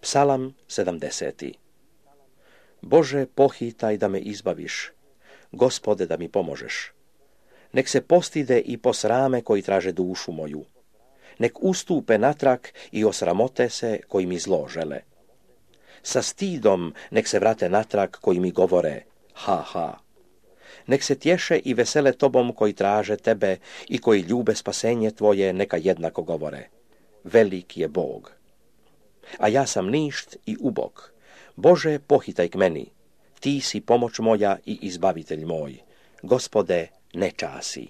Psalam 70. Bože, pohitaj da me izbaviš, Gospode, da mi pomožeš. Nek se postide i posrame koji traže dušu moju. Nek ustupe natrag i osramote se koji mi zlo žele. Sa stidom nek se vrate natrag koji mi govore ha, ha. Nek se tješe i vesele tobom koji traže tebe i koji ljube spasenje tvoje, neka jednako govore. Velik je Bog. A ja sam ništ i ubog. Bože, pohitaj k meni. Ti si pomoć moja i izbavitelj moj. Gospode, ne časi.